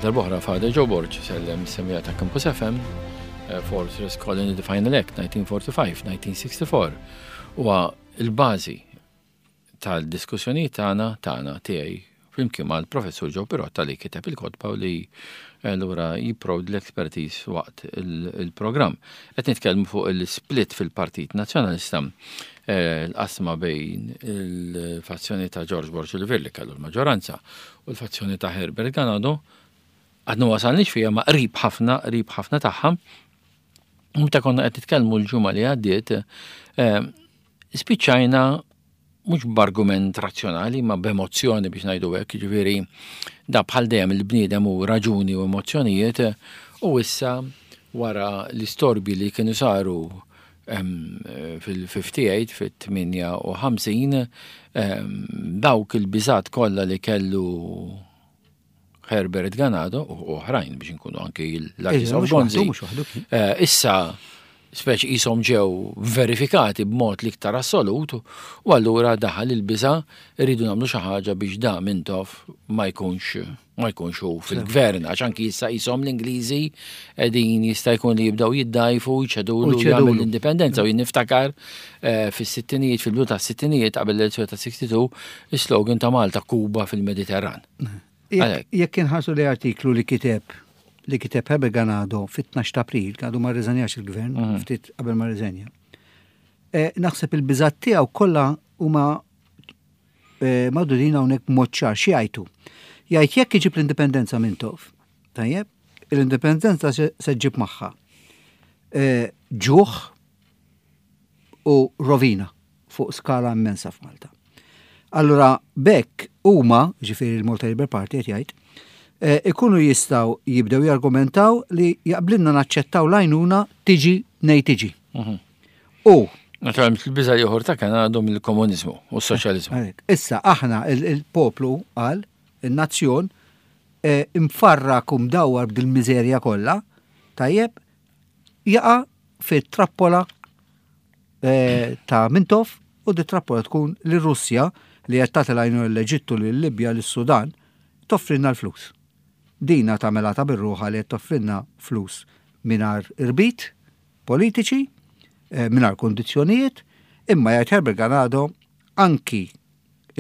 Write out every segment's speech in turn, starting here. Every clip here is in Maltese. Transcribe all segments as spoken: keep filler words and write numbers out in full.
Għal darb'oħra Father Joe Borg sellem semmiegħa ta' Campus F M, eh, Fortress Colony, the Final Act, nineteen forty-five, nineteen sixty-four. Huwa il-bażi tal-diskussjoni tagħna tagħna tiegħi flimkien mal-professur Joe Pirotta li kiteb il-kotba u li allura jipprovdi l-expertise waqt il-programm. Qed nitkellmu fuq il-split fil-Partit Nazzjonalista, eh, l-qasma bejn il-fazzjoni ta' George Borg Olivier li kellu l-maġġoranza u l-fazzjoni ta' Herbert Ganado. Għadna wasalniex fija ma qrib ħafna, qrib ħafna tagħha. Meta konna qed nitkellmu l-ġimgħa li għaddiet, eh, spiċċajna mhux b'argument razzjonali ma b'emozzjoni biex ngħidu hekk, jiġifieri da bħal dejjem il-bniedem u raġuni u emozzjonijiet, u issa wara l-istorbi li kienu saru fil-ħamsa u tmenin, fil-tmienja u ħamsin, dawk il-biżat kollha li kellu Herbert Ganado u oħrajn biex nkunu anki l-Artist of Gonzi. Eh, issa speċi jisom ġew verifikati b'mod l-iktar assolut u allura daħal il-biża, rridu nagħmlu xi ħaġa biex da Mintoff ma jkunx ma jkunx hu fil-gvern, għax anki issa jisom l-Ingliżi qegħdin jista' jkun li jibdew jiddajfu, jċedulu jagħmel l-indipendenza. U jien niftakar eh, fis-sittinijiet, fil-bidu tas-sittinijiet, qabel l-elezzjoni ta' sitta u sittin, is-slogan ta' Malta "Kuba fil-Mediterran". Jekk inħarsu li artiklu li kiteb li kiteb Herbert Ganado fit-tnax ta' April, għadu ma rriżenjax il-gvern, mhm. ftit qabel ma rriżenja. Eh, naħseb il-biżat tiegħu kollha huma eh, magħdudin hawnhekk b'mod ċar. Xi jgħidu? Jgħid jekk iġib l-indipendenza Mintoff, tajjeb, l-indipendenza se ġġib magħha eh, ġuħ u rovina fuq skala immensa f'Malta. Allura bekk huma, ġifieri il-Malta Labour Party qed jgħid, eh, ikunu jistgħu jibdew jargumentaw li jaqblinna naċċettaw l-għajnuna tiġi nej tiġi. Mhm. U Naturalment il-biża ieħor ta' kien għadhom il-komuniżmu u s-soċjaliżmu. Issa aħna il-poplu għal il-nazzjon eh, imfarrak u mdawwar b'dil-miżerja kollha, tajjeb, jaqa' fit-trappola eh, ta' Mintoff u di trappola tkun li Russja li qed tagħti l-għajnuna l-Eġittu, lil-Libja, lis-Sudan, toffrilna l-flus. Dina tagħmilha ta' bir-ruħa li qed toffrilna flus mingħajr irbit politiċi, eh, mingħajr kondizzjonijiet, imma jgħid Herbert Ganado anki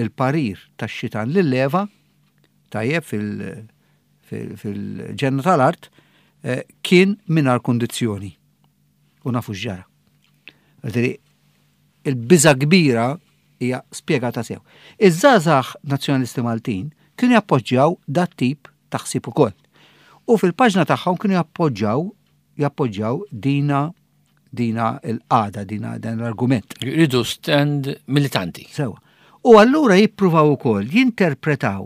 il-parir tax-xitan lil Eva, tajjeb, fil-ġenna tal-art, eh, kien mingħajr kondizzjoni. U nafu x'ġara. Il-biża kbira hija spjegata sew. Iż-żgħażagħ nazzjonalisti Maltin kienu jappoġġjaw dat tip ta' ħsieb ukoll. U fil-paġna tagħhom kienu jappoġġjaw jappoġġjaw dina dina il-qada, dina dan l-argument. Jridu stand militanti. Sewa. U allura jippruvaw ukoll jinterpretaw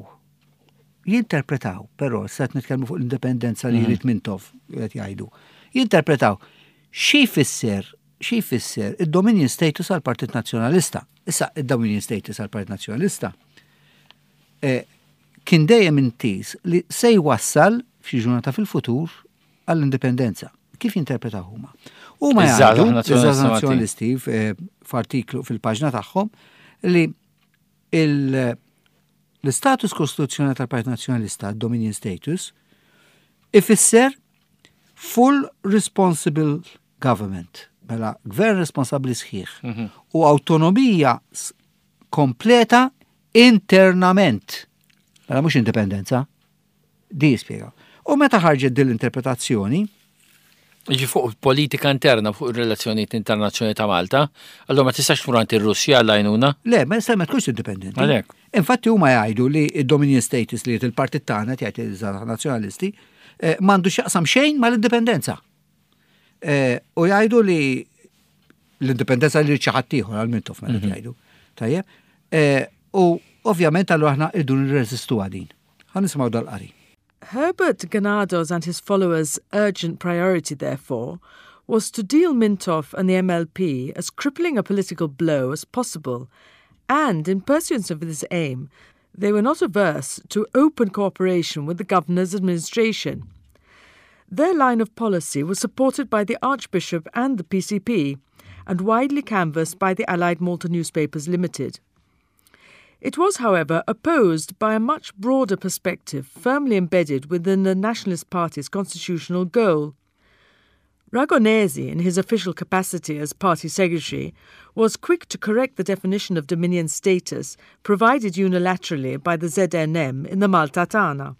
jinterpretaw, però se nitkellmu fuq l-indipendenza li jrid Mintoff, qed jgħidu. Jinterpretaw xi jfisser xi jfisser id-dominion status għal Partit Nazzjonalista. Issa id-dominion status għal Partit Nazzjonalista eh, kien dejjem intiż li se jwassal f'xi ġurnata fil-futur għall-indipendenza. Kif jinterpretaw huma? Huma Iż-żgħażagħ jgħidu, nazzjonalisti iż-żgħażagħ nazzjonalisti eh, f'artiklu fil-paġna tagħhom li il- l-istatus kostituzzjonali tal-Partit Nazzjonalista, Dominion Status, ifisser full responsible government, mela gvern responsabli sħiħ u autonomija s- kompleta internament. Mela mhux indipendenza. Di jispjega. U meta ħarġet din l-interpretazzjoni, Iġi fuq politika interna, fuq il-relazzjonijiet internazzjonali ta' Malta, allora ma tistax tmur għand ir-Russja għall-għajnuna? Le, ma jista' ma tkunx indipendenti. Għalhekk. Infatti huma jgħidu li id-Dominion status li il-partit tagħna jgħid iż-żgħażagħ nazzjonalisti eh, m'għandu x'jaqsam xejn mal-indipendenza. Eh, U jgħidu li l-indipendenza li xi ħadd ieħor għal Mintoff mela jgħidu. Tajjeb. Eh, U ovvjament allura aħna irdu nirreżistu għadin. Ħa nisimgħu dal-qari. Herbert Ganado's and his followers' urgent priority, therefore, was to deal Mintoff and the M L P as crippling a political blow as possible, and in pursuance of this aim, they were not averse to open cooperation with the governor's administration. Their line of policy was supported by the Archbishop and the P C P, and widely canvassed by the Allied Malta Newspapers Limited. It was, however, opposed by a much broader perspective firmly embedded within the Nationalist Party's constitutional goal. Ragonesi, in his official capacity as party secretary, was quick to correct the definition of dominion status provided unilaterally by the Z N M in the Malta Tagħna.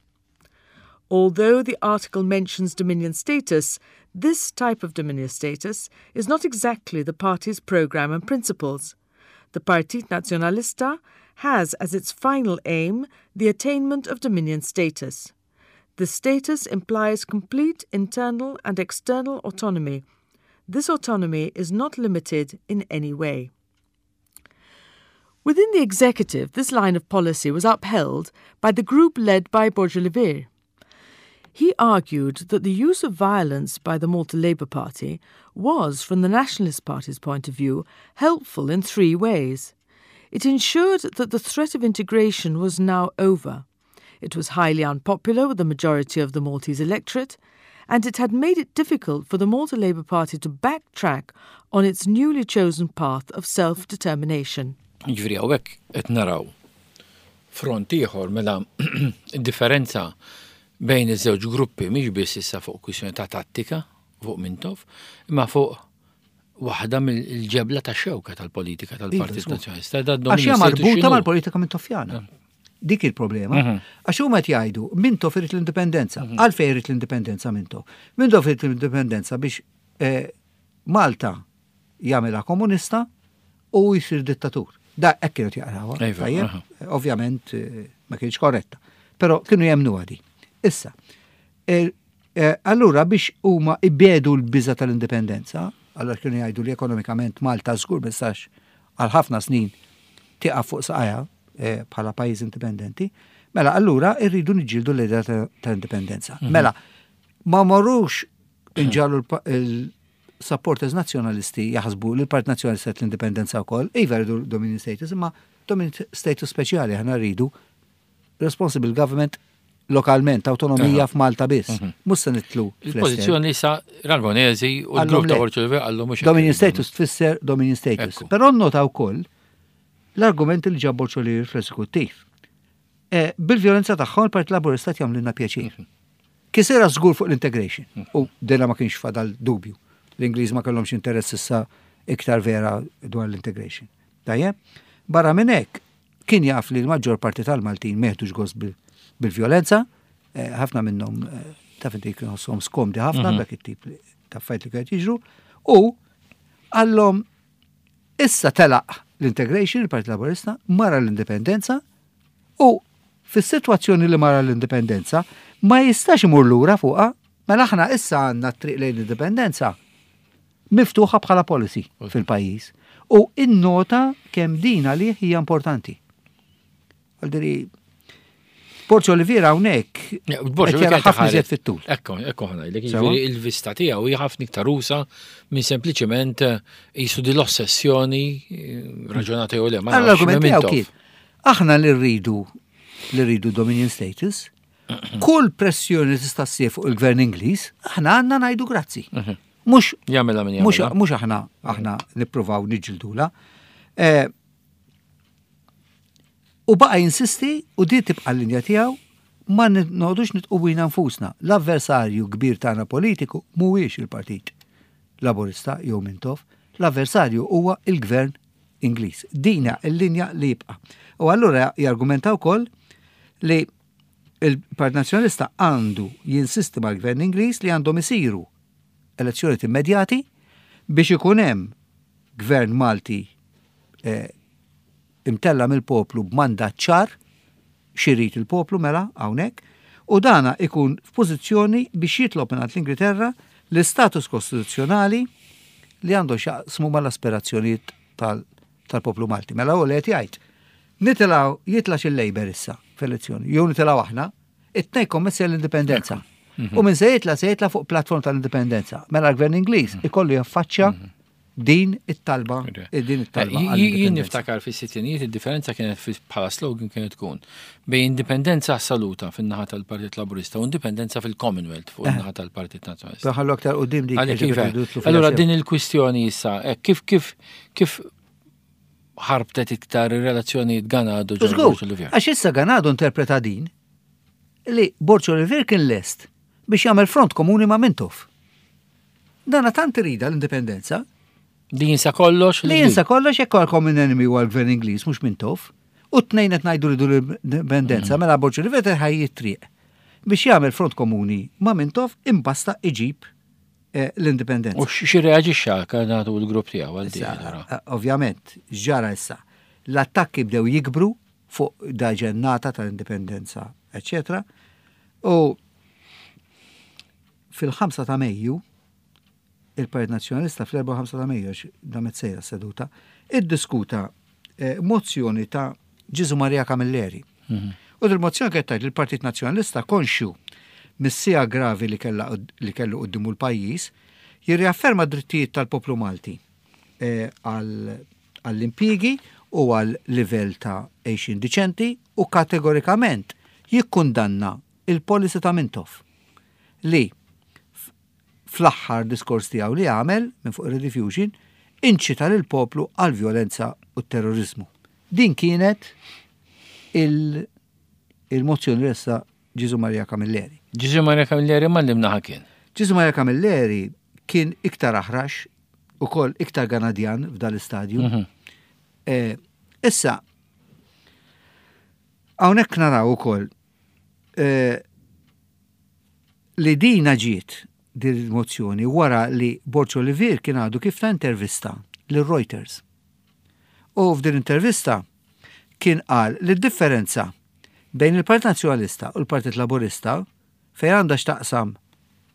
Although the article mentions dominion status, this type of dominion status is not exactly the party's program and principles. The Partit Nazzjonalista has as its final aim the attainment of dominion status. The status implies complete internal and external autonomy. This autonomy is not limited in any way. Within the executive, this line of policy was upheld by the group led by Borg Olivier. He argued that the use of violence by the Malta Labour Party was, from the Nationalist Party's point of view, helpful in three ways. It ensured that the threat of integration was now over. It was highly unpopular with the majority of the Maltese electorate, and it had made it difficult for the Malta Labour Party to backtrack on its newly chosen path of self-determination. Ġifieri hawnhekk qed naraw front ieħor, mela differenza bejn iż-żewġ gruppi mhix biss issa fuq kwistjoni ta' tattika fuq Mintoff, imma fuq waħda mill-ġebla ta' xewka tal-politika tal-Partit Iva, Nazzjonalista. Għax hija marbuta mal-politika Mintoffjana. Dik il-problema. Mhm. Għax huma qed jgħidu Mintoff irid l-indipendenza. Għalfejn irid l-indipendenza Mintoff? Mintoff irid l-indipendenza biex eh, Malta jagħmilha komunista u jsir dittatur. Da hekk kienu jaqrawha. Iva, Tajjeb? aha. Ovvjament eh, ma kienx korretta. Però kienu jemnu għadi. Issa, eh, eh, allura biex huma ibedu l-biża tal-indipendenza, allura kienu jgħidu li ekonomikament Malta żgur ma tistax għal ħafna snin tieqaf fuq saqajha eh, bħala pajjiż indipendenti, mela allura irridu niġġieldu l-idea ta- tal-indipendenza. Mela, ma morrux inġagħlu il-supporters nazzjonalisti jaħsbu li l-Partit Nazzjonalista l-indipendenza wkoll, iva rridu dominion status, imma dominion status speċjali, aħna rridu responsible government lokalment, autonomija f'Malta biss. Mhux se nidħlu fl-estern. Il-pożizzjoni sa Ragonesi u l-grupp Għallhom ta' le. Borg Olivier għallhom mhux hekk Dominion irridu. status tfisser dominion status. Ekku. Però nota wkoll l-argument li ġab Borg Olivier fl-eżekuttiv. Eh, Bil-violenza tagħhom il-Partit Laburista jagħmlilna pjaċir. Kisera żgur fuq l-integration. U dela ma kienx fadal dubju. L-Ingliż ma kellhomx interess issa iktar vera dwar l-integration. Tajjeb? Barra minn hekk kien jaf li l-maġġor parti tal-Maltin meħdux gost bil- bil-violenza, eh, ħafna minnhom eh, taf inti kienu ħossuhom skomdi ħafna dak it-tip li- ta' affarijiet li kienet jiġru, u għallhom issa telaq l-integration, il-Partit Laburista, mara l-indipendenza u fis-sitwazzjoni li mara l-indipendenza ma jistax imur lura fuqha, mela aħna issa għandna t-triq lejn l-indipendenza miftuħa bħala policy fil-pajjiż. U innota kemm din għalih hija importanti. Għaldiri, Borg Olivier hawnhekk Ja, Borg qed jara Olivier ħafna iżjed fit-tul. Ekku, ekku ħa ngħidlek, Sewa? jiġifieri il-vista tiegħu hija ħafna iktar usa minn sempliċement eh, qisu di l-ossessjoni eh, raġunata jew le. Ma nafx, L-argument minn tiegħu Mintoff. kien aħna li rridu li rridu dominion status, kull pressjoni li tista' ssir fuq il-gvern Ingliż, aħna għandna ngħidu grazzi. Mhux Jagħmilha min mhux jagħmilha. mhux aħna aħna nippruvaw niġġildula. Eh, U baqa jinsisti u di tibqa l-linja tiegħu, ma noqogħdux nidħqu bina nfusna. L-avversarju kbir tagħna politiku mhuwiex il-Partit Laburista jew Mintoff, l-avversarju huwa il-Gvern Ingliż. Dina l-linja li jibqa'. U allura jargumenta wkoll li il-Partit Nazzjonalista għandu jinsisti mal-Gvern Ingliż li għandhom isiru elezzjonijiet immedjati biex ikun hemm gvern Malti eh, imtella mill-poplu b'mandat ċar x'irid il-poplu mela hawnhekk u dana ikun f'pożizzjoni biex jitlob mingħand l-Ingilterra l-istatus kostituzzjonali li għandu x'jaqsmu mal-aspirazzjonijiet tal- tal-poplu Malti. Mela u li qed jgħid. Nitilgħu jitlax il-Labour issa f'elezzjoni, jew nitilgħu aħna, it-tnejn kommessi l-indipendenza. U minn se jitla se jitla fuq platform tal-indipendenza. Mela l-gvern Ingliż ikollu jaffaċċja din it-talba, din it-talba. Eh, Jien għall-indipendenza. niftakar fis-sittinijiet id-differenza kienet fi- bħala slogan kienet tkun bejn indipendenza assoluta fin-naħa tal-Partit Laburista u indipendenza fil-Commonwealth fuq in-naħa tal-Partit Nazzjonalista. Ħallu aktar quddiem dik. Għalhekk ġifieri iva. tridu tidħlu Allura fil-azzjoni. din il-kwistjoni issa, eh, kif kif kif ħarbtet iktar ir-relazzjonijiet Ganado Żgur, Borg Olivier. Għax issa Ganado interpreta din li Borg Olivier kien lest biex jagħmel front komuni ma' Mintoff. Dana tant irida l-indipendenza Li jinsa kollox. li jinsa kollox jekk għal common enemy huwa l-gvern Ingliż mhux Mintoff. U t-tnejn qed ngħidu ridu l-indipendenza mela Borg Olivier ħaj triq biex jagħmel front komuni ma' Mintoff imbasta iġib eh, l-indipendenza. U xi reaġixxa Ganado u l-grupp tiegħu għal din. Issa, allura? eh, Ovvjament, ġara issa. L-attakki bdew jikbru fuq da ġennata tal-indipendenza, eccetera. U fil-ħamsa ta' Mejju, il-Partit Nazzjonalista fl-erbgħa ta' Mejju, għax damet sejra seduta, iddiskuta eh, mozzjoni ta' Ġesu Maria Camilleri. U dil-mozzjoni kienet tgħid li l-Partit Nazzjonalista konxju mis-siegħa gravi li kella li kellu quddiemu l-pajjiż, jirriafferma drittijiet tal-poplu Malti eh, għal- għall-impjiegi u għal livell ta' għejxin diċenti u kategorikament jikkundanna il-policy ta' Mintoff li f- fl-aħħar diskors tiegħu li għamel minn fuq Rediffusion inċita lil poplu għal violenza u terrorizmu. Din kienet il- il-mozzjoni ressaq Ġesu Maria Camilleri. Ġesu Maria Camilleri ma limnaħa kien. Ġesu Maria Camilleri kien iktar aħrax u kol iktar Ganadjan f'dal-istadju. Mhm. Eh, Issa, hawnhekk naraw ukoll eh, li dina ġiet din il-mozzjoni wara li Borg Olivier kien għadu kif ta intervista lil Reuters. U f'din intervista kien qal li d-differenza bejn il-Partit Nazzjonalista u l-Partit Laburista fejn għandha x'taqsam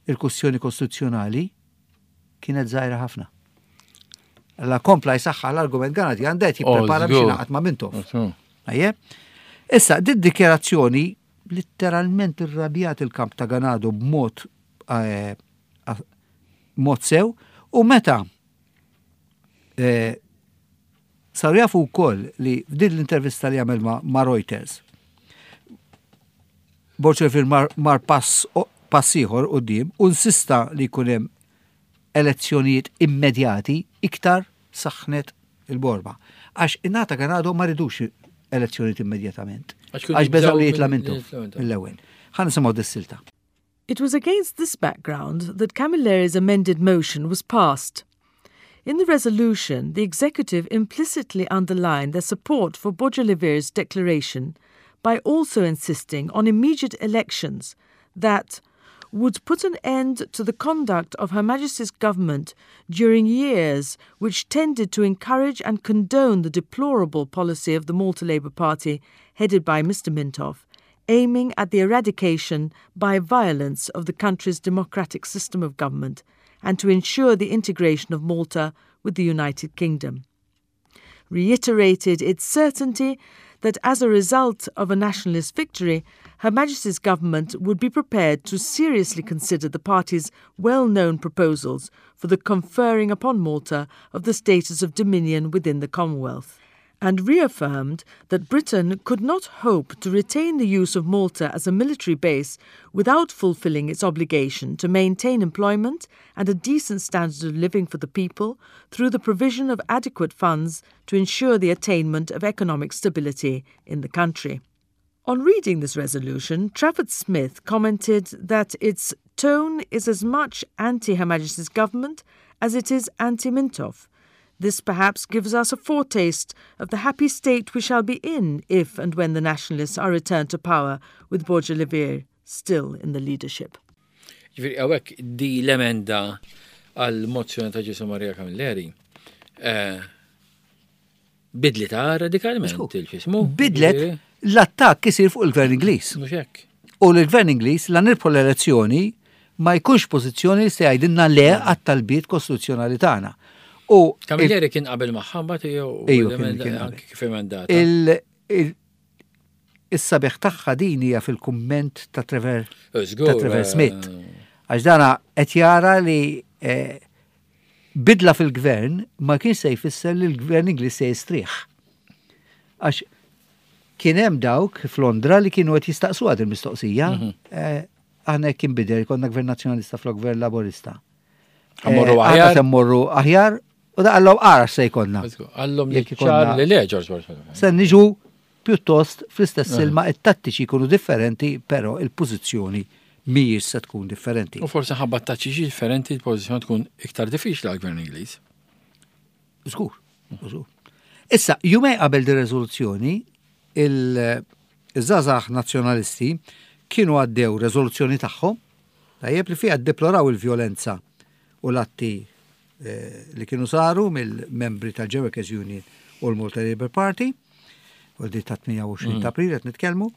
il-kwestjoni kostituzzjonali kienet żgħira ħafna. Alla kompla jsaħħa l-argument Ganadjan det jipprepara biex żgur. jingħaqad ma' Mintoff. Ajje? Issa, din dikjarazzjoni literalment irrabjat il-kamp ta' Ganado b'mod eh, a- mod sew u meta eh, saru jafu wkoll li f'din l-intervista li għamel ma, ma' Reuters Borg Olivier mar, mar pass, o- pass ieħor quddiem u insista li jkun hemm elezzjonijiet immedjati iktar saħnet il-borba. Għax in-naħa ta' Ganado ma ridux elezzjonijiet immedjatament. Għax kienu Għax beżaw li jibżgħu jitla' minn- Mintoff jitla' Mintoff. mill-ewwel. Ħa nisimgħu dis-silta. It was against this background that Camilleri's amended motion was passed. In the resolution, the executive implicitly underlined their support for Borg Olivier's declaration by also insisting on immediate elections that would put an end to the conduct of Her Majesty's government during years which tended to encourage and condone the deplorable policy of the Malta Labour Party headed by Mister Mintoff, aiming at the eradication by violence of the country's democratic system of government and to ensure the integration of Malta with the United Kingdom. Reiterated its certainty that as a result of a nationalist victory, Her Majesty's government would be prepared to seriously consider the party's well-known proposals for the conferring upon Malta of the status of dominion within the Commonwealth, and reaffirmed that Britain could not hope to retain the use of Malta as a military base without fulfilling its obligation to maintain employment and a decent standard of living for the people through the provision of adequate funds to ensure the attainment of economic stability in the country. On reading this resolution, Trafford Smith commented that its tone is as much anti-Her Majesty's government as it is anti-Mintoff. This perhaps gives us a foretaste of the happy state we shall be in if and when the Nationalists are returned to power with Borg Olivier still in the leadership. Ġifieri, hawnhekk di l-emenda għal-mozzjoni ta' Ġesu Maria Camilleri eh, bidlitha radikalment il-xismu. Bidlet l-attakk isir fuq il-gvern Ingliż. Mhux hekk. U l-gvern Ingliż la nirbħu l-elezzjoni ma jkunx pożizzjoni li se jgħidilna le għat-talbiet kostituzzjonali tagħna. U Camilleri kien qabel magħha mbagħad jew Ejju, kien- l-emenda- kien qabel. anki kif emendata. il- il- is-sabiħ tagħha din hija fil-kumment ta' Trevor Żgur, ta' Trevor eh, Smith. Għax dana qed jara li eh, bidla fil-gvern ma kien se jfisser li l-gvern Ingliż se jistrieħ. Għax kien hemm dawk f'Londra li kienu qed jistaqsu għad il-mistoqsija. Mhm. eh, Aħna jekk inbidel konna gvern nazzjonalista flok gvern laborista. Ħa mmorru Eh, aħjar? Aħna se mmorru aħjar U da qallhom ara se jkollna. Qallhom li ċar li le George Borg. Se niġu pjuttost fl-istess ilma, it-tattiċi jkunu differenti, però il-pożizzjoni mhijiex se tkun differenti. U forsi ħabba tattiċi differenti il-pożizzjoni tkun iktar diffiċli għall-gvern Ingliż. Żgur, żgur. Issa, jumejn qabel di rezoluzzjoni, il-żgħażagħ nazzjonalisti kienu għaddew rezoluzzjoni tagħhom, tajjeb, li fiha deploraw il-vjolenza u l-atti eh, li kienu saru mill-membri tal-Workers Union u l-Malta Labour Party, u di ta' tmienja u għoxrin ta' April qed nitkellmu,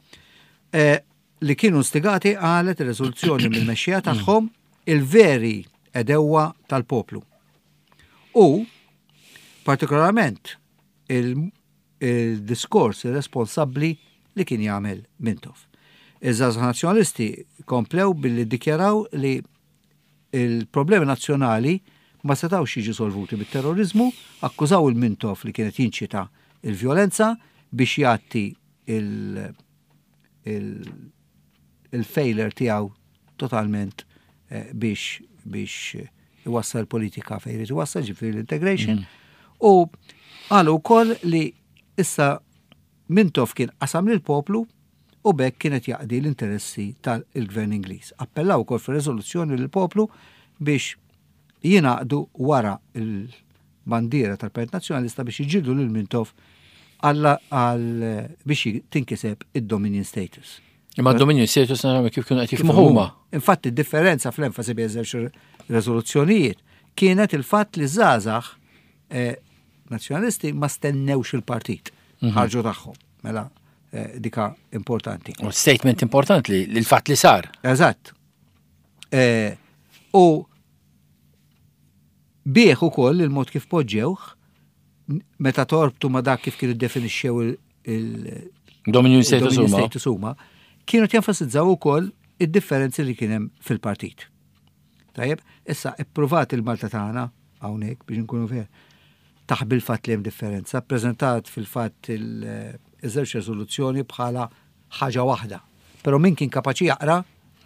eh, li kienu instigati, qalet ir-rezoluzzjoni, mill-mexxija tagħhom, il-veri għedewwa tal-poplu. U partikolarment il-diskors irresponsabbli li kien jagħmel Mintoff. Iż-żgħażagħ nazzjonalisti komplew billi dikjaraw li il-problemi nazzjonali ma setawx jiġu solvuti bit-terrorizmu, akkużaw il-Mintoff li kienet jinċita il-vjolenza biex jgħatti il-failure tiegħu totalment eh, biex biex iwassal politika fejn irid iwassal, ġifieri l-integration. Mm. U qalu wkoll li issa Mintoff kien qasam lill-poplu u b'hekk kienet jaqdi l-interessi tal-gvern Ingliż. Appellaw ukoll fir-riżoluzzjoni lill-poplu biex jingħaqdu wara il-bandiera tal-Partit Nazzjonalista biex jiġġieldu lil Mintoff għal biex tinkiseb id-Dominion status. Imma d-Dominion status naraw kif kienu qed jifhmu huma. Infatti, differenza fl-enfasi bejn żewġ rezoluzzjonijiet kienet il-fatt li żgħażagħ eh, nazzjonalisti ma stennewx il-partit, mhm. ħarġu tagħhom. Mela eh, dika importanti. U statement importanti li l-fatt li sar. Eżatt. Eh, u bieħ ukoll il-mod kif poġġewh meta torbtu ma dak kif kienu definixxew il-Dominion status huma, kienu jenfasizzaw ukoll id-differenzi li kien hemm fil-partit. Tajjeb, issa ippruvat il-Malta Tagħna hawnhekk biex nkunu fair taħbi l-fatt li hemm differenza, preżentat fil-fatt il-żewġ rezoluzzjoni bħala ħaġa waħda. Però min kien kapaċi jaqra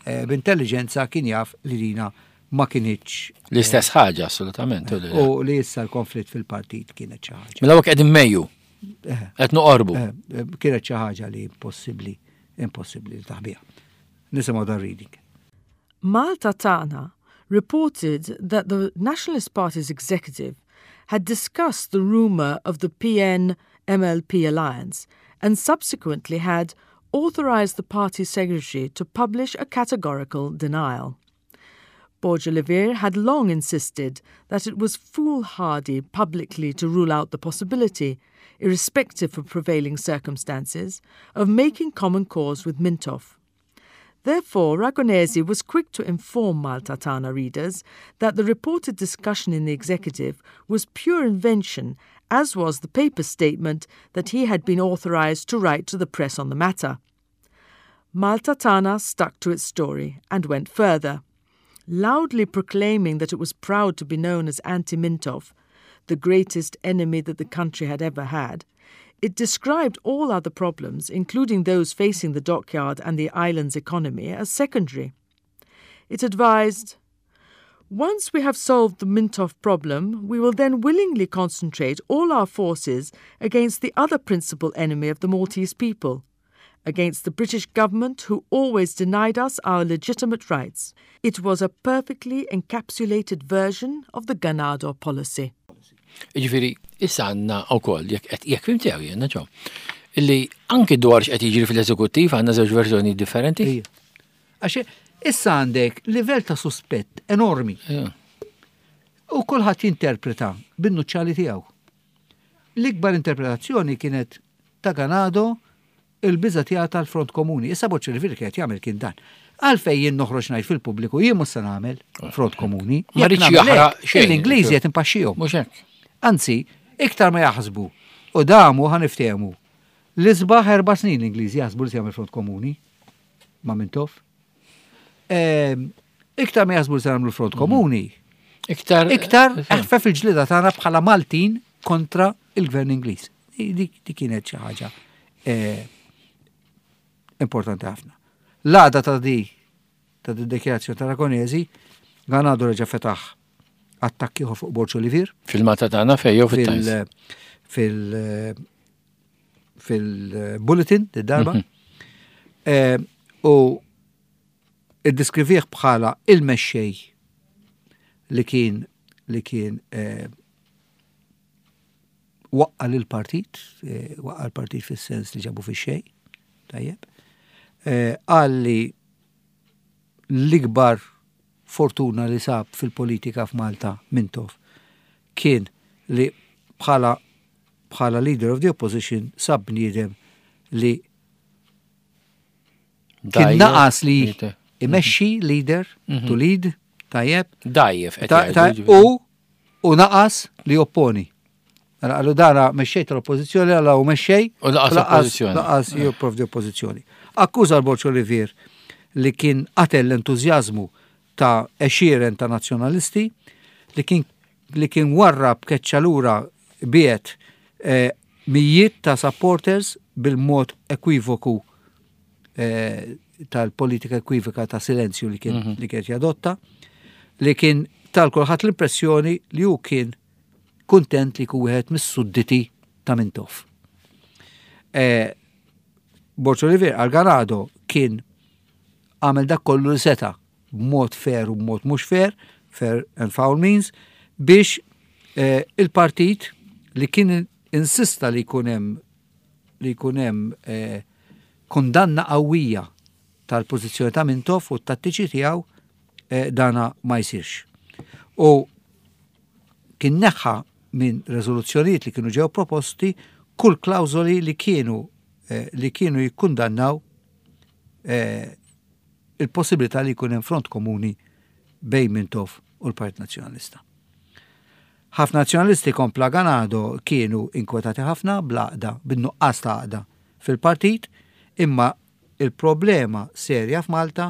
eh, b'intelligenza kien jaf li dina ma kinitx l-istess ħaġa, assolutament. U li issa l-konflitt fil-partit kienet xi ħaġa. Mela qegħdin Mejju. Eh. Qed noqorbu. Eh, kienet xi ħaġa li impossibbli, impossibbli li taħbiha. Nisimgħu dan reading. Malta Tagħna reported that the Nationalist Party's executive had discussed the rumour of the P N M L P alliance and subsequently had authorized the party secretary to publish a categorical denial. Borg Olivier had long insisted that it was foolhardy publicly to rule out the possibility, irrespective of prevailing circumstances, of making common cause with Mintoff. Therefore, Ragonesi was quick to inform Malta Tagħna readers that the reported discussion in the executive was pure invention, as was the paper statement that he had been authorized to write to the press on the matter. Malta Tagħna stuck to its story and went further, loudly proclaiming that it was proud to be known as anti Mintoff, the greatest enemy that the country had ever had. It described all other problems, including those facing the dockyard and the island's economy, as secondary. It advised, "Once we have solved the Mintoff problem, we will then willingly concentrate all our forces against the other principal enemy of the Maltese people, against the British government, who always denied us our legitimate rights." It was a perfectly encapsulated version of the Ganado policy. Ġifieri, issa għandna wkoll, jekk fhimt sew jiena ġo, illi anki dwar x'qed jiġri fil-eżekuttiv għandna żewġ verżjoni differenti. Għax issa għandek livell ta' suspett enormi. U kulħadd jinterpreta bin-nuċċali tiegħu. L-ikbar interpretazzjoni kienet ta' Ganado, il-biża tiegħu tal-front komuni. Issa Borg Olivier kienet jagħmel kien dan. Għalfejn jien noħroġ ngħid fil-pubbliku jien mhux se nagħmel front komuni? Ma rridx jaħraq xejn. L-Ingliżi qed impaxxihom. Mhux hekk. Anzi, iktar ma jaħsbu. U damu ħa niftehmu. L-isbaħ erba' snin l-Ingliżi jaħsbu li se jagħmel front komuni ma' Mintoff. Ehm, iktar ma jaħsbu li se jagħmlu front komuni. Iktar. Iktar eħfef il-ġlida tagħna bħala Maltin kontra il-gvern Ingliż. Dik kienet xi ħaġa eh, importanti ħafna. L-għada ta' di ta' di dikjarazzjoni ta' Ragonesi, Ganado reġa' fetaħ Attakki fuq Borg Olivier. Fil-Malta Tagħna fejn jew fit-Times? Fil- fil-bulletin, darba. Mhm. Eh, u iddiskrivih bħala il-mexxej li kien li kien eh, waqqa l-partit, eh, waqqa l-partit fis-sens li ġabu fix-xejn, tajjeb. Qal li l-ikbar fortuna li sab fil-politika f'Malta Mintoff kien li bħala bħala leader of the opposition sab bniedem li kien naqas li imexxi leader, mhm. to lead, tajjeb. Dajjef. U u naqas li opponi. Għallu dana mexxej tal-oppozizjoni, għalla u mexxej. U laqas oppożizzjoni. Laqas jipprovdi oppożizzjoni. Akkuża l-Borg Olivier li kien qatel l-entużjażmu ta' għexieren ta' nazzjonalisti, li kien li kien warrab, keċċa lura, biet eh, mijiet ta' supporters bil-mod ekwivoku eh, tal-politika ekwivoka ta' silenzju li kien mm -hmm. li kien jadotta, li kien ta lil kulħadd l-impressjoni li hu kien kuntent li jkun wieħed mis-sudditi ta' Mintoff. E, Borg Olivier għal Ganado kien għamel dak kollu li seta b'mod fair u b'mod mhux fair, fair and foul means, biex eh, il-partit li kien insista li jkun hemm li jkun hemm eh, kundanna qawwija tal-pożizzjoni ta' Mintoff u t-tattiċi tiegħu eh, dana ma jsirx. U kien neħħa minn rezoluzzjonijiet li kienu ġew proposti kull klawżoli li kienu eh, li kienu jikkundannaw eh, il-possibilità li jkun hemm front komuni bejn Mintoff u l-Partit Nazzjonalista. Ħafna nazzjonalisti, kompla Ganado, kienu inkwetati ħafna bl-għaqda, bin-nuqqas ta' għaqda fil-partit, imma il-problema serja f'Malta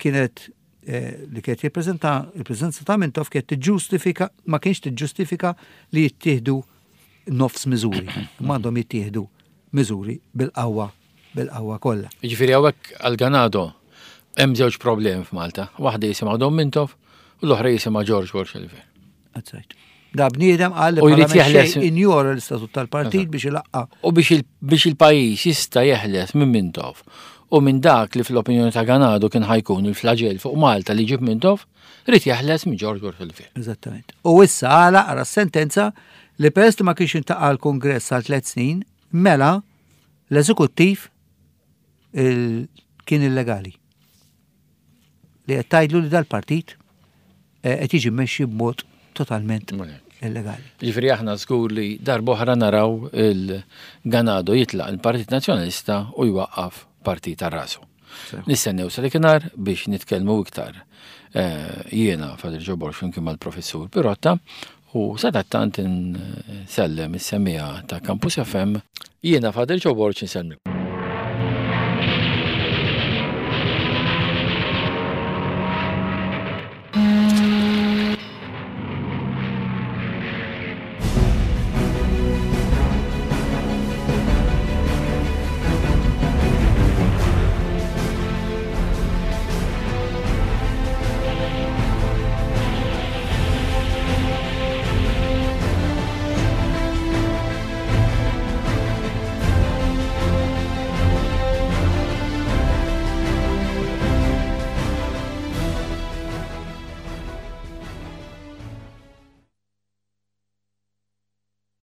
kienet eh, li kienet jippreżenta il-preżenza ta' Mintoff kienet tiġġustifika, ma kienx tiġġustifika li jittieħdu nofs miżuri. Ma għandhom jittieħdu miżuri bil-qawwa bil-qawwa kollha. Jiġifieri hawnhekk għal Ganado hemm żewġ problemi f'Malta. Waħda jisimha Dom Mintoff u l-oħra jisimha George Borg Olivier. That's right. Da bniedem qal li U jrid bħala jeħles- mexxej injora l-istatut tal-partit biex ilaqqa U biex il- biex il-pajjiż jista' jeħles minn Mintoff u minn dak li fl-opinjoni ta' Ganado kien ħa jkun il-flagell fuq Malta li ġib Mintoff, irid jeħles minn George Borg Olivier. Eżattament. U issa għala għara sentenza li peress li ma kienx iltaqa' l-kongress għal tliet snin, mela l-eżekuttiv il- kien illegali. Li qed tgħidlu li dal-partit eh, qed jiġi mmexxi b'mod totalment illegali. Ġifieri aħna żgur li darb'oħra naraw il-Ganado jitlaq il-Partit Nazzjonalista u jwaqqaf partit ta' rasu. Nistennew sa dakinhar biex nitkellmu iktar. Eh, Jiena Father Joe Borg flimkien mal-Professur Pirotta u sadattant insellem is-semmiegħa ta' Campus F M. Jiena Father Joe Borg insellmilkom.